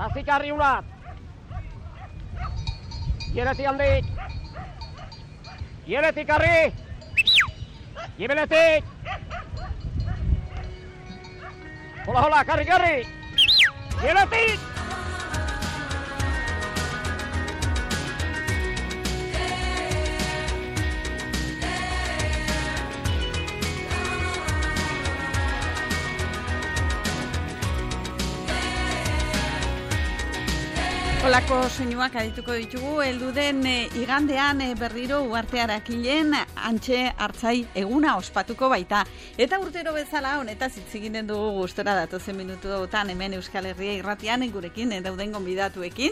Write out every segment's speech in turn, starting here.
Zazikarri unat. Giereti handik. Gieretik arri. Gibeletik. Hola, karri. Gieretik. Olako soinuak adituko ditugu, heldu den igandean berriro Uhartearakilen antxe hartzai eguna ospatuko baita. Eta urtero bezala honetaz hitz egiten dugu gustora datozen minutuetan hemen Euskal Herria Irratian gurekin dauden gonbidatuekin.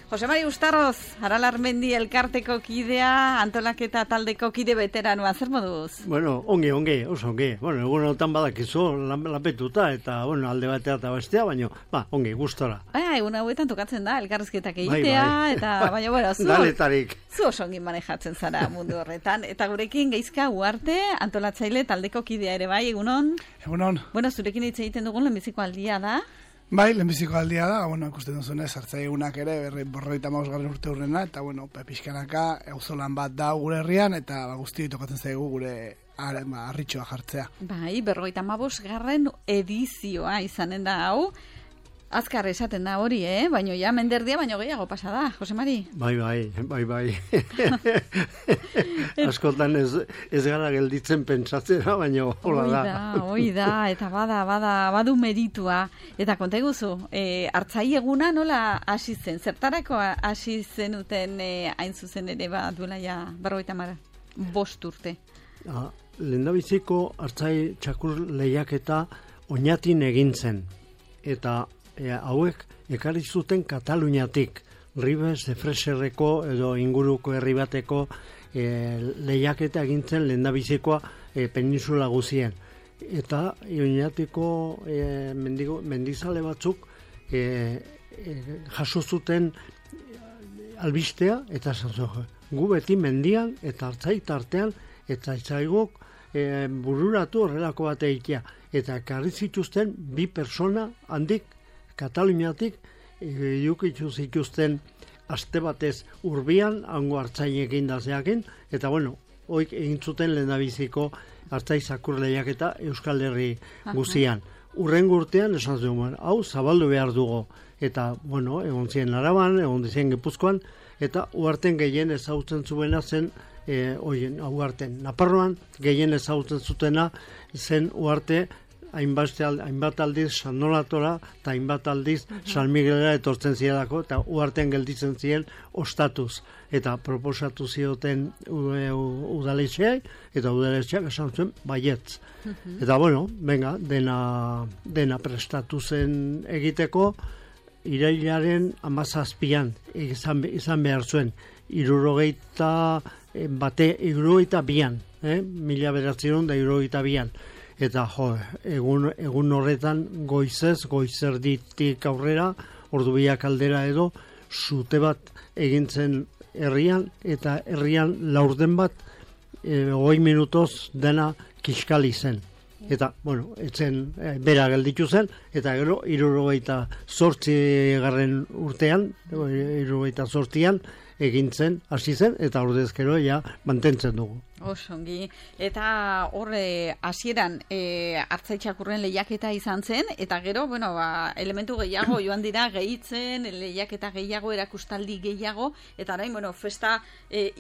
Jose Mari Ustarroz, Aralarmendi elkarteko kidea, antolaketa taldeko kide veteranoa, zer moduz? Bueno, ongi, oso ongi. Bueno, egunotan badakizu lapetuta eta, bueno, alde batea eta bestea, baina, ongi, gustora. Egun hauetan tokatzen da, elkarrizketak egitea, eta, baina, bueno, zu oso ongi manejatzen zara mundu horretan. Eta gurekin Geizka Uharte, antolatzaile taldeko kidea ere bai, egunon? Egunon. Bueno, zurekin hitz egiten dugun lehenbiziko aldia da. Bai, lehenbiziko aldia da, bueno, ikusten duzunez, hartzai egunak ere, 55. urte urrena, eta, bueno, pixkanaka, auzolan bat da gure herrian, eta guzti tokatzen zaigu gure harritxoa jartzea. Bai, 55. edizioa izanen da hau, azkar esaten da hori, baina ja menderdia baino gehiago pasa da, Jose Mari? Bai. Askotan ez gara gelditzen pentsatzera, baina hola da. Hoi da, eta badu meritua. Eta konta eguzu, hartzai eguna nola hasi zen? Zertarako hasi zenuten hain zuzen ere duela ja 55 urte? Lehendabiziko hartzai txakur lehiaketa Oñatin egin zen. Eta hauek ekarri zuten Kataluniatik, Ribes de Freserreko edo inguruko herri bateko lehiaketa egintzen lehendabizikoa peninsula guzien. Eta Oñatiko mendizale batzuk jaso zuten albistea eta gu beti mendian eta hartzai tartean eta itzaigok bururatu horrelako bat egitea. Eta ekarri zituzten bi persona handik Kataluniatik edukitu zituzten aste batez urbian, hango hartzainekin da zeakin, eta bueno, hoik egin zuten lehendabiziko hartzai zakur lehiaketa Euskal Herri guzian. Urrengo urtean esan zuen, hau zabaldu behar dugu, eta bueno, egon ziren Araban, egon ziren Gipuzkoan, eta Uharten gehien ezagutzen zuena zen, Uharten Naparroan gehien ezagutzen zutena zen Uharte, hainbat aldiz San Nolatora eta hainbat aldiz San Miguelera etortzen zielako eta Uhartean gelditzen ziren ostatuz. Eta proposatu zioten udaletxeak eta udaletxeak esan zuen baietz. Eta bueno, venga, dena prestatu zen egiteko irailaren 17an izan behar zuen. 62an, 1962an. Eta egun horretan goizerditik aurrera, ordubiak aldera edo, zute bat egintzen herrian, eta herrian laurden bat, 20 minutoz dena kiskali zen. Eta, bueno, etzen bera gelditu zen, eta gero, 68. urtean, 68an, egintzen, hasi zen, eta ordezkero ja mantentzen dugu. Osongi. Eta horre hasieran hartzai txakurren lehiaketa izan zen, eta gero, bueno, elementu gehiago joan dira gehitzen, lehiaketa gehiago, erakustaldi gehiago, eta orain, bueno, festa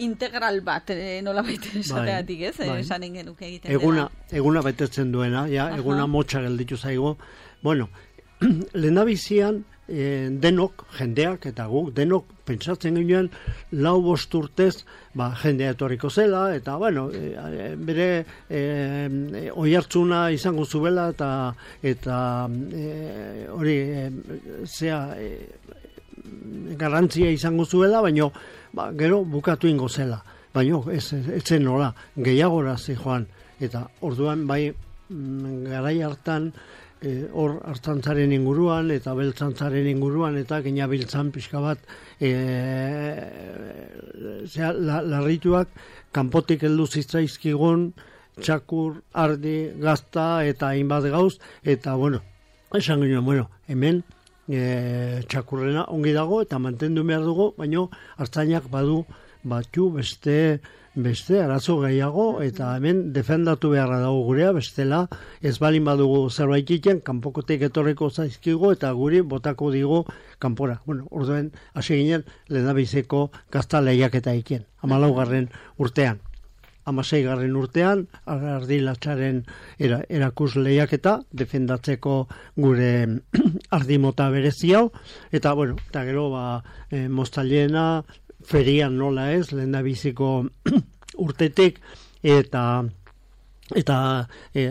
integral bat, nolabait esateatik, ez? Esanen genuke egiten dela. Eguna betetzen duena, ja, eguna motxa gelditu zaigu. Bueno, lehendabizian, denok, jendeak eta guk, denok pentsatzen ginen 4-5 urtez jendea etorriko zela, eta bueno, bere oihartzuna izango zuela eta hori garrantzia izango zuela, baina gero bukatu ingo zela. Baina ez zen nola, gehiagora joan, eta orduan bai garai hartan hor hartzantzaren inguruan eta beltzantzaren inguruan eta ginabiltzan pixka bat larrituak kanpotik heldu zitzaizkigun txakur, ardi, gazta eta hainbat gauz, eta bueno, esan ginen, bueno, hemen txakurrena ongi dago eta mantendu behar dugu, baina artzainak badu batzu beste arazo gehiago eta hemen defendatu beharra dago gurea, bestela ez balin badugu zerbait egiten, kanpokotik etorriko zaizkigo eta guri botako digo kanpora. Bueno, orduen hasi ginen lehendabiziko gazta lehiaketa egiten, 14. urtean. 16. urtean, ardilatxaren erakus lehiaketa, defendatzeko gure ardimota berezi hau, eta bueno, eta gero moztaliena, ferian nola ez, lehendabiziko urtetik, eta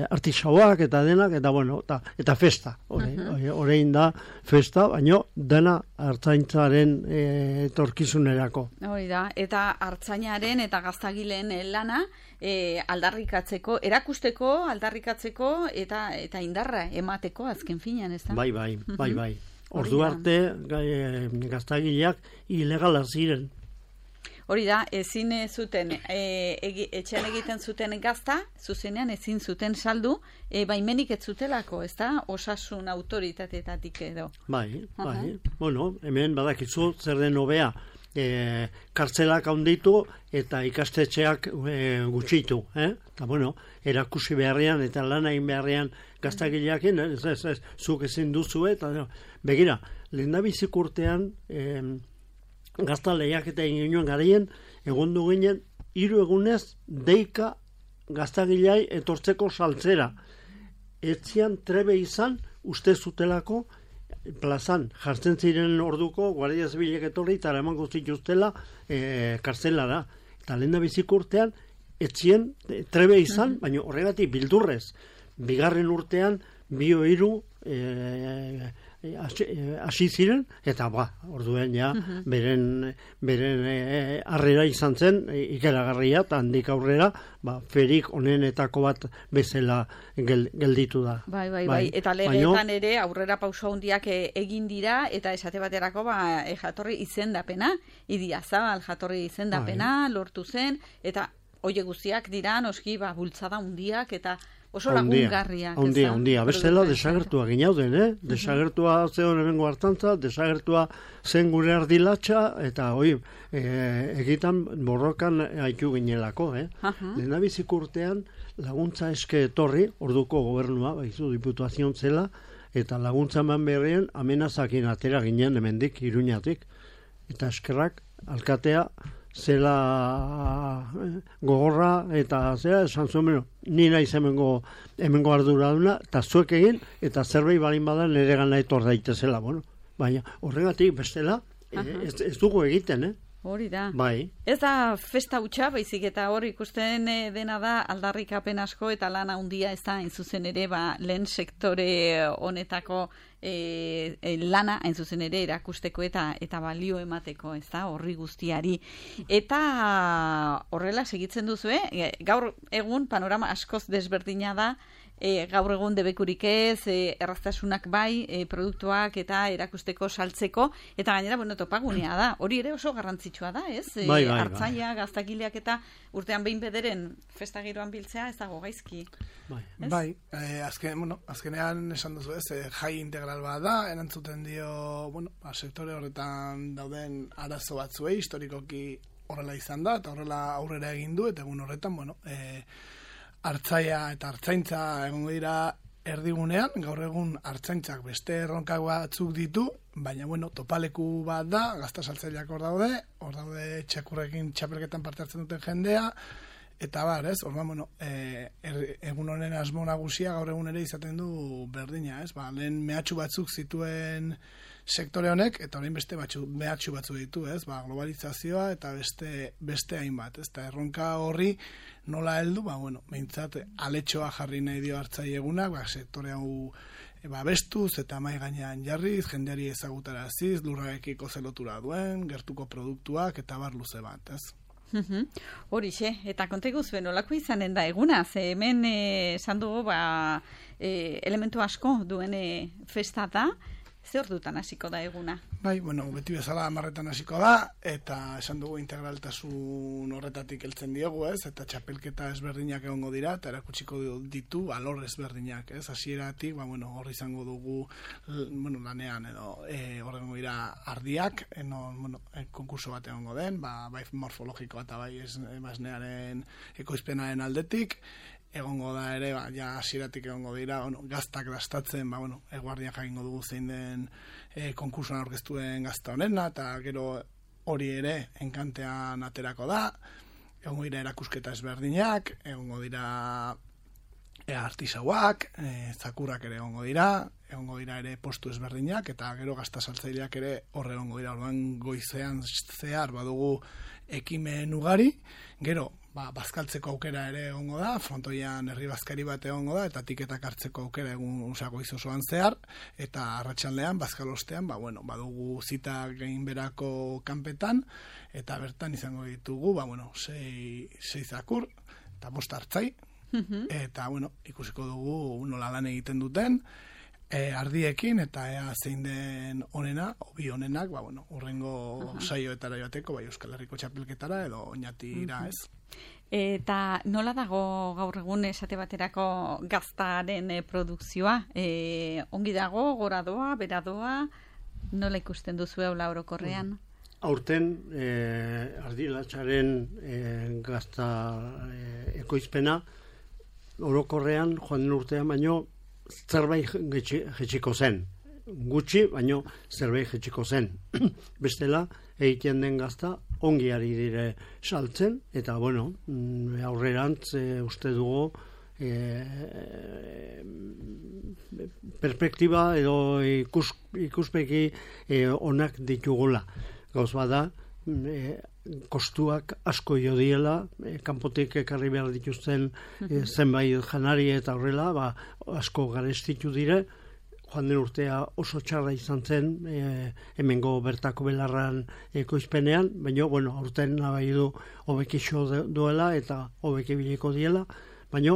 artisauak eta denak, eta bueno, eta festa, orain da festa, baino dena artzaintzaren etorkizunerako. Hori da, eta artzainaren eta gaztagileen lana aldarrikatzeko, erakusteko, aldarrikatzeko eta indarra emateko azken finean, ez da? Bai. Ordu arte gaztagileak ilegala ziren. Hori da, ezin zuten, etxean egiten zuten gazta, zuzenean ezin zuten saldu, baimenik ez zutelako, ez da? Osasun autoritateetatik edo. Bai. Bueno, hemen badakizu zer den hobea, kartzelak handitu eta ikastetxeak gutxitu. Eta bueno, erakusi beharrean eta lan egin beharrean gaztagileakin, ez, zuk ezin duzu, eta begira, lehendabizik urtean, gazta lehiaketa egin ginen garaien, egondu ginen, 3 egunez deika gaztagilei etortzeko saltzera. Etzian trebe izan, uste zutelako, plazan jartzen ziren orduko, guardia zibilek etorri, eta eraman zituztela kartzelara. Eta lehendabiziko urtean, etzien trebe izan, baina horregatik bildurrez. 2. urtean, 2 hasi ziren, eta orduen ja, beren harrera izan zen, ikeragarria, eta handik aurrera, ferik onenetako bat bezala gelditu da. Bai. Eta legeetan ere aurrera pauso handiak egin dira, eta esate baterako jatorri izendapena, Idiazabal jatorri izendapena, lortu zen, eta hoie guztiak dira, noski, bultzada handiak, eta oso lagungarriak. Handia. Bestela desagertua ginauden, Desagertua zeon hemengo hartantza, desagertua zen gure ardilatxa, eta egitan borrokan haitu ginelako, Lehendabizik urtean laguntza eske etorri, orduko gobernua, baizu diputazion zela, eta laguntza eman beharrean amenazakin atera ginen hemendik, Iruñatik, eta eskerrak alkatea zela gogorra eta zera esan zuen, ni naiz hemengo arduraduna, eta zuek egin, eta zerbait balin badan nire gana etor daitezela, baina horregatik bestela ez dugu egiten, Hori da. Bai. Ez da festa hutsa, baizik eta hor ikusten dena da aldarrikapen asko eta lan handia ez da, hain zuzen ere, lehen sektore honetako lana, hain zuzen ere, erakusteko eta balio emateko, ez da, horri guztiari. Eta horrela segitzen duzu, gaur egun panorama askoz desberdina da, gaur egun debekurik ez, erraztasunak bai, produktuak eta erakusteko saltzeko, eta gainera, topagunea da. Hori ere oso garrantzitsua da, ez? Bai. Artzaia, gaztagileak eta urtean behin bederen festa giroan biltzea ez dago gaizki. Bai, azkenean esan duzu ez, jai integral bat da, erantzuten dio, sektore horretan dauden arazo batzuei, historikoki horrela izan da, eta horrela aurrera egin du, eta egun horretan, artzaia eta artzaintza egongo dira erdigunean, gaur egun artzaintzak beste erronkak batzuk ditu, baina topaleku bat da, gazta saltzaileak hor daude txakurrekin txapelketan parte hartzen duten jendea, eta egun honen asmo nagusia gaur egun ere izaten du berdina, lehen mehatxu batzuk zituen sektore honek, eta orain beste mehatxu batzu ditu, globalizazioa eta beste hainbat, eta erronka horri nola heldu, behintzat aletxoa jarri nahi dio hartzaiegunak, sektore hau bestuz eta mai gainean jarriz, jendeari ezagutaraziz, lurrarekiko zelotura duen, gertuko produktuak eta bar luze bat, Horixe, eta kontegu zuen nolako izanen da eguna, ze hemen esan dugu elementu asko duen festa da, Ze ordutan hasiko da eguna? Bai, bueno, beti bezala 10 hasiko da, eta esan dugu integraltasun horretatik heltzen diogu, ez? Eta txapelketa ezberdinak egongo dira, eta erakutsiko ditu alor ezberdinak, ez? Hasieratik, hor izango dugu, lanean edo horrengo dira ardiak, konkurso bat egongo den, bai morfologikoa eta bai esnearen ekoizpenaren aldetik, egongo da ere, hasieratik egongo dira, gaztak dastatzen, eguardian jakingo dugu zein den konkursoan aurkeztuen gazta honena, eta gero hori ere enkantean aterako da, egongo dira erakusketa ezberdinak, egongo dira artisauak, zakurrak ere egongo dira ere postu ezberdinak, eta gero gazta saltzaileak ere horre egongo dira, orduan goizean zehar badugu ekimen ugari, gero bazkaltzeko aukera ere egongo da, frontoian herri bazkari bat egongo da, eta tiketak hartzeko aukera egun goizosoan zehar, eta arratsaldean bazkalostean, badugu zita gainberako kanpetan, eta bertan izango ditugu, 6 zakur, eta 5 hartzai, eta, ikusiko dugu nola lan egiten duten, ardiekin, eta ea zein den onena, obi onenak, urrengo saioetara joateko, Euskal Herriko txapelketara, edo oinatira, ez? Eta nola dago gaur egun esate baterako gaztaren produkzioa? Ongi dago, gora doa, bera doa, nola ikusten duzu eula orokorrean? Aurten, ardilatxaren gazta ekoizpena, orokorrean, joan den urtean, baino, zerbait jetxiko zen. Gutxi, baino zerbait jetxiko zen. Bestela, egiten den gazta, ongi ari dire saltzen, eta, aurrerantz uste dugu perspektiba edo ikuspeki onak ditugula. Gauz bada, kostuak asko jo diela, kanpotik ekarri behar dituzten zenbait janari eta horrela, asko garestitu dire, joan den urtea oso txarra izan zen, hemengo bertako belarran ekoizpenean, baina, aurten nabai du hobekixo duela eta hobekibiliko diela, baina,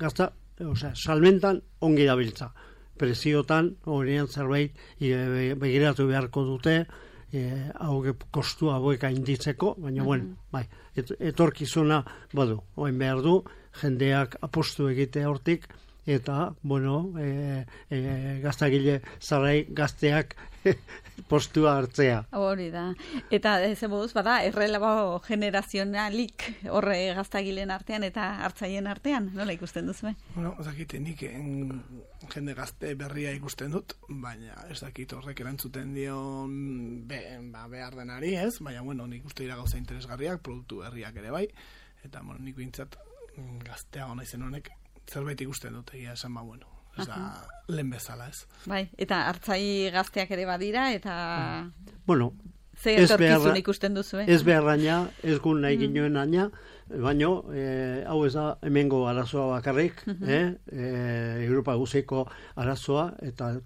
gazta, salmentan ongi dabiltza. Preziotan, horrean zerbait, begiratu beharko dute, kostu hauek ainditzeko, baina, etorkizuna, oen behar du, jendeak apostu egite hortik, eta, gaztagile zarai gazteak postua hartzea. Hori da. Eta zemoduz, errelabo generazionalik horre gaztagileen artean eta hartzaien artean, nola ikusten duzu? Nik jende gazte berria ikusten dut, baina ez dakit horrek erantzuten dion behar denari, ez? Baina, nik uste dira gauza interesgarriak, produktu berriak ere bai, eta nik bintzat gaztea hona izen honek zerbait ikusten dut, egia esan ez da lehen bezala, ez. Bai, eta hartzai gazteak ere badira, eta ze ez etorkizun ikusten duzu, Ez beharraina, ez gun nahi ginoen aina, baina hau ez da hemengo arazoa bakarrik, Europa guziko arazoa, eta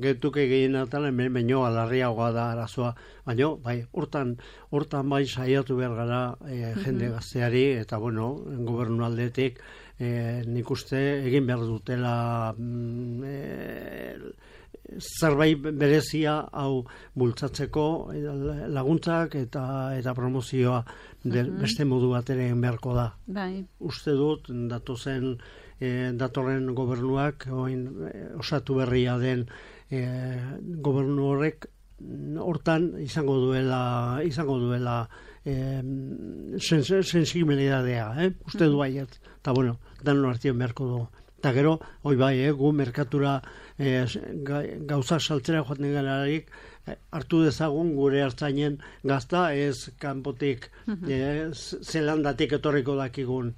getuke gehienatan hemen baino alarriagoa da arazoa, baina hortan bai saiatu behar gara jende gazteari, eta gobernu aldetik nik uste egin behar dutela zerbait berezia hau bultzatzeko laguntzak eta promozioa beste modu bat ere egin beharko da. Uste dut datorren gobernuak osatu berria den gobernu horrek hortan izango duela sensibilidadea, uste du baiet, eta danon artien beharko dugu. Eta gero, hoi bai, gu merkatura gauza saltzera joaten gararik, hartu dezagun gure hartzainen gazta, ez kanpotik zelandatik etorriko dakigun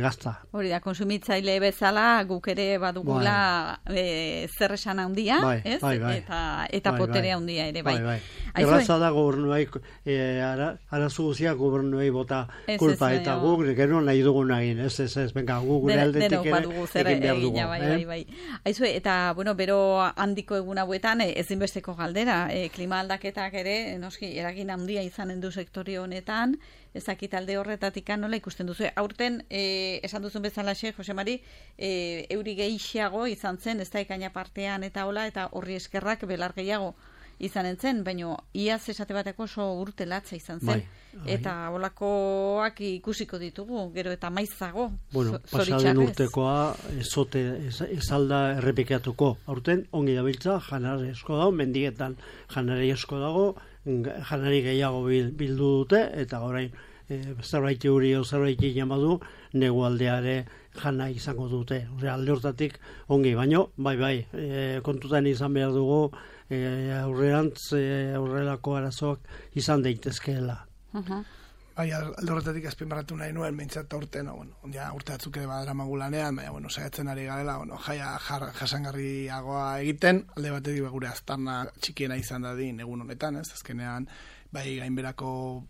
gazta. Hori da, konsumitzaile bezala guk ere badugula zer esan handia, ez? Eta potere handia ere, bai. Erraza da gobernuai, arazu guziak gobernuai bota kulpa, eta guk gero nahi dugun egin, ez, venga, guk gure aldetik ere egin behar dugu. Aizu, eta, bero handiko egun hauetan ezinbesteko galdera, klima aldaketak ere, noski, eragin handia izanen du sektore honetan, ezakit alde horretatik nola ikusten duzu. Aurten, esan duzun bezalaxe, Jose Mari, euri gehiago izan zen, ez da ekaina partean eta hola, eta horri eskerrak belar gehiago izanen zen, baina iaz esate bateko oso urte latza izan zen. Eta holakoak ikusiko ditugu, gero eta maizago. Bueno, pasaden urtekoa ez alda errepikatuko. Aurten, ongi dabiltza, janari esko dago, mendietan janari esko dago, janari gehiago bildu dute, eta orain zerbait euri o zerbait inamadu, negualdeare jana izango dute. Alde hortatik ongi, baino, bai, kontutan izan behar dugu, aurrelako arazoak izan daitezkeela. Bai, alde horretatik azpimarratu nahi nuen, behintzat aurten, urte batzuk ere badara magulanean, baina, saiatzen ari garela, jaia jasangarriagoa egiten, alde batetik gure aztarna txikiena izan dadin egun honetan, ez, azkenean, bai gainberako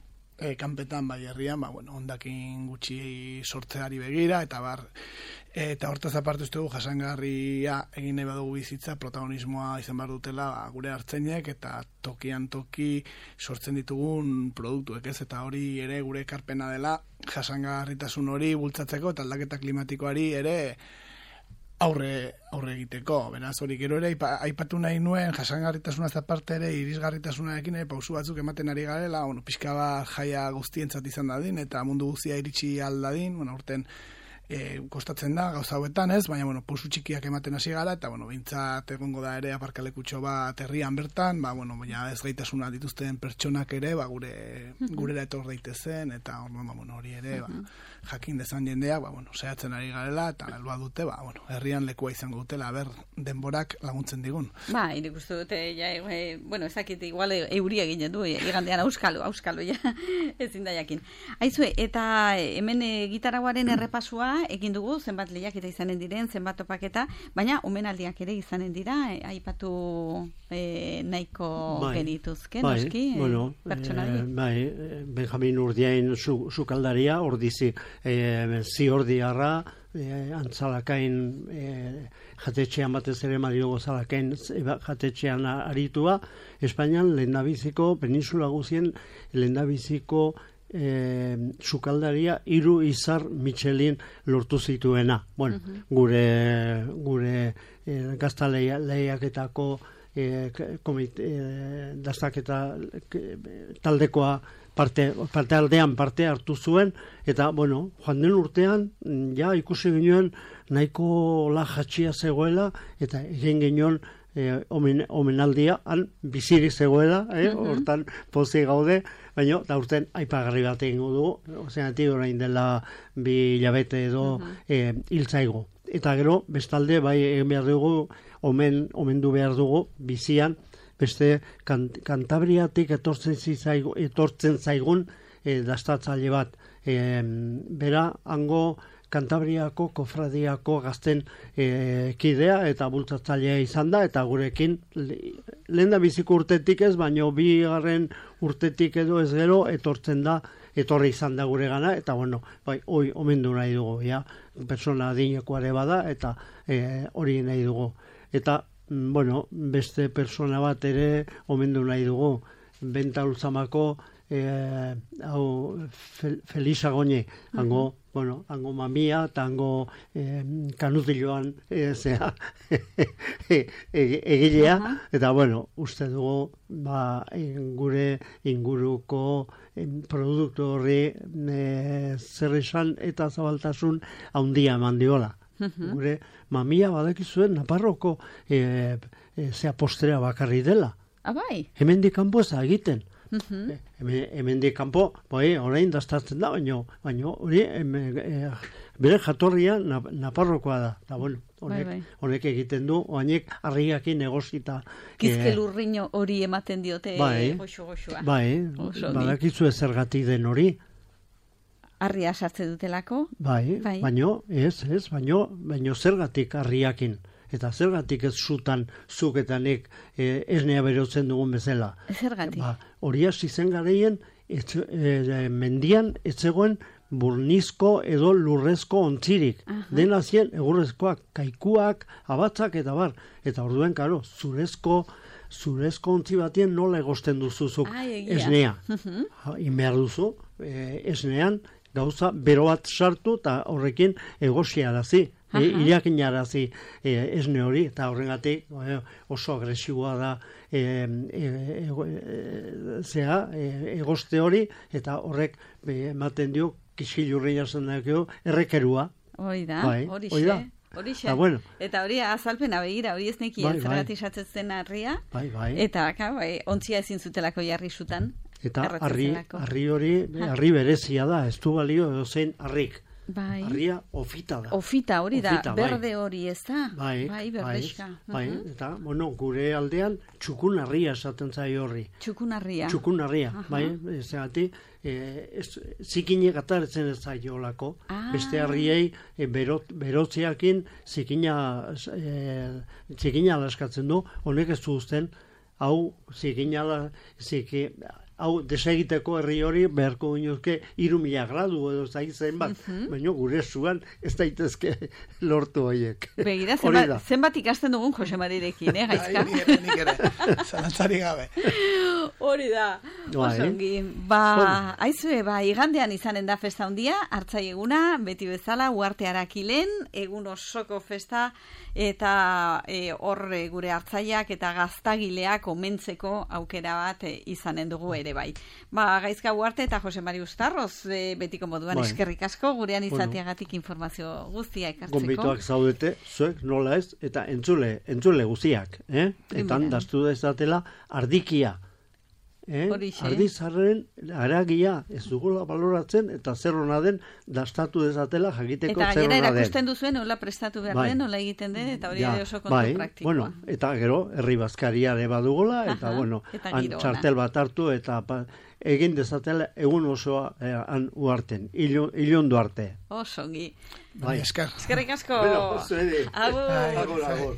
kanpetan, bai herrian, hondakin gutxi sortzeari begira, eta hortaz aparte uste dugu jasangarria egin nahi badugu bizitza, protagonismoa izan behar dutela gure hartzainek eta tokian toki sortzen ditugun produktuek, ez, eta hori ere gure ekarpena dela jasangarritasun hori bultzatzeko eta aldaketa klimatikoari ere aurre egiteko. Beraz, hori gero ere aipatu nahi nuen jasangarritasunaz aparte ere irisgarritasunarekin ere pausu batzuk ematen ari garela, pixka bat jaia guztientzat izan dadin eta mundu guztia iritsi aldadin, urten kostatzen da gauza hauetan, ez, baina pausu txikiak ematen hasi gara eta behintzat egongo da ere aparkalekutxo bat herrian bertan, ez gaitasuna dituzten pertsonak ere gurera etor daitezen eta hori ere jakin dezan jendeak, saiatzen ari garela eta helbua dute, herrian lekua izango dutela, denborak laguntzen digun. Nik uste dute, ezakit, igual euria ginen du, igandean auskalo, ezin da jakin. Aizue, eta hemen gitarauaren errepasua egin dugu, zenbat lehiaketa izanen diren, zenbat topaketa, baina omenaldiak ere izanen dira, aipatu nahiko genituzke, noski, pertsonari. Benjamin Urdiain sukaldaria, ordizi ziordiarra, antzalakain jatetxean batez ere Mariogo Zalakain jatetxean aritua, Espainian lehendabiziko, peninsula guzien lehendabiziko sukaldaria 3 izar Michelin lortu zituena. Gure gazta lehiaketako dastaketa taldekoa parte aldean parte hartu zuen, eta, joan den urtean, ikusi ginen nahiko lajatxia zegoela, eta egin ginen omenaldia, han bizirik zegoela, hortan pozik gaude, baina da urten aipagarri bat egingo dugu, ozeanatik orain dela 2 hilabete edo hiltzaigo. Eta gero, bestalde, bai egin behar dugu, omendu behar dugu, bizian, beste Kantabriatik etortzen zaigun dastatzaile bat. Bera, hango Kantabriako kofradiako gazten kidea eta bultzatzailea izan da, eta gurekin lehen da biziko urtetik ez, baino 2. urtetik edo ez gero etorri izan da gure gana, eta hoi omendu nahi dugu, persona adinekoare bada, eta hori nahi dugu. Eta beste persona bat ere omendu nahi dugu, Benta Ultzamako Felisa Goñi, hango mamia eta hango kanutiloan egilea, eta uste dugu gure inguruko produktu horri zer esan eta zabaltasun handia eman diola. Gure mamia badakizuen Naparroko postrea bakarri dela. Hemendik kanpo ez da egiten. Hemendik kanpo, orain dastatzen da, baina hori bere jatorria Naparrokoa da. Honek egiten du, oainek harriakin negozita. Kizkelurriño hori ematen diote goxo-goxoa. Badakizu zergatik den hori. Harria sartze dutelako? Baino zergatik harriakin. Eta zergatik ez zutan zuketanek esnea berotzen dugun bezala. Zergatik? Hori hasi zen garaien mendian ez zegoen burnizko edo lurrezko ontzirik. Dena zien egurrezkoak, kaikuak, abatzak eta bar. Eta orduen, zurezko zurezko ontzi batien nola egosten duzuzuk egia. esnea. Inbehar duzu, esnean gauza bero bat sartu eta horrekin egosiarazi. Irakinarazi esne hori, eta horrengatik oso agresiboa da egoste hori, eta horrek ematen dio kiskilurri jasen dakio errekerua. Hori da, hori Horixe. Bueno. Eta hori azalpena begira, hori ez neki zergatik satzen harria. Eta ontzia ezin zutelako jarri zutan. Eta harri hori, harri berezia da, ez du balio edozein harrik. Harria ofita da. Ofita hori da, berde hori ez da. Berdeska. Eta, gure aldean txukun harria esaten zaio horri. Txukun harria. Txukun harria, ezagati, zikinek ataretzen ez zaiolako. Beste harriei berotziakin zikina alaskatzen du, honek ez du uzten, hau hau desegiteko herri hori beharko ginuzke 3.000 gradu edo zaitzen bat, baina gure zuan ez daitezke lortu horiek. Begira, zenbat ikasten dugun Jose Marirekin, Gaizka? Nik ere, zalantzari gabe. Hori da, osongi. Aizue, igandean izanen da festa handia, hartzai eguna, beti bezala, Uarte Arakilen, egun osoko festa, eta hor gure hartzaiak eta gaztagileak omentzeko aukera bat izanen dugu ere bai. Gaizka Uarte eta Jose Mari Uztarroz betiko moduan eskerrik asko gurean izateagatik informazio guztia ekartzeko. Gonbituak zaudete, zuek nola ez, eta entzule guztiak, eta daztu dezatela ardikia. Ardizarren aragia ez dugula baloratzen eta zer hona den dastatu dezatela jakiteko zer hona den. Eta gainera erakusten duzuen, nola prestatu behar den, nola egiten den, eta hori oso kontu praktikoa. Eta gero, herri bazkariare badugula, eta txartel bat hartu, eta egin dezatela egun osoa Uarten, Ilundu arte. Osongi. Eskerrik asko. Agur.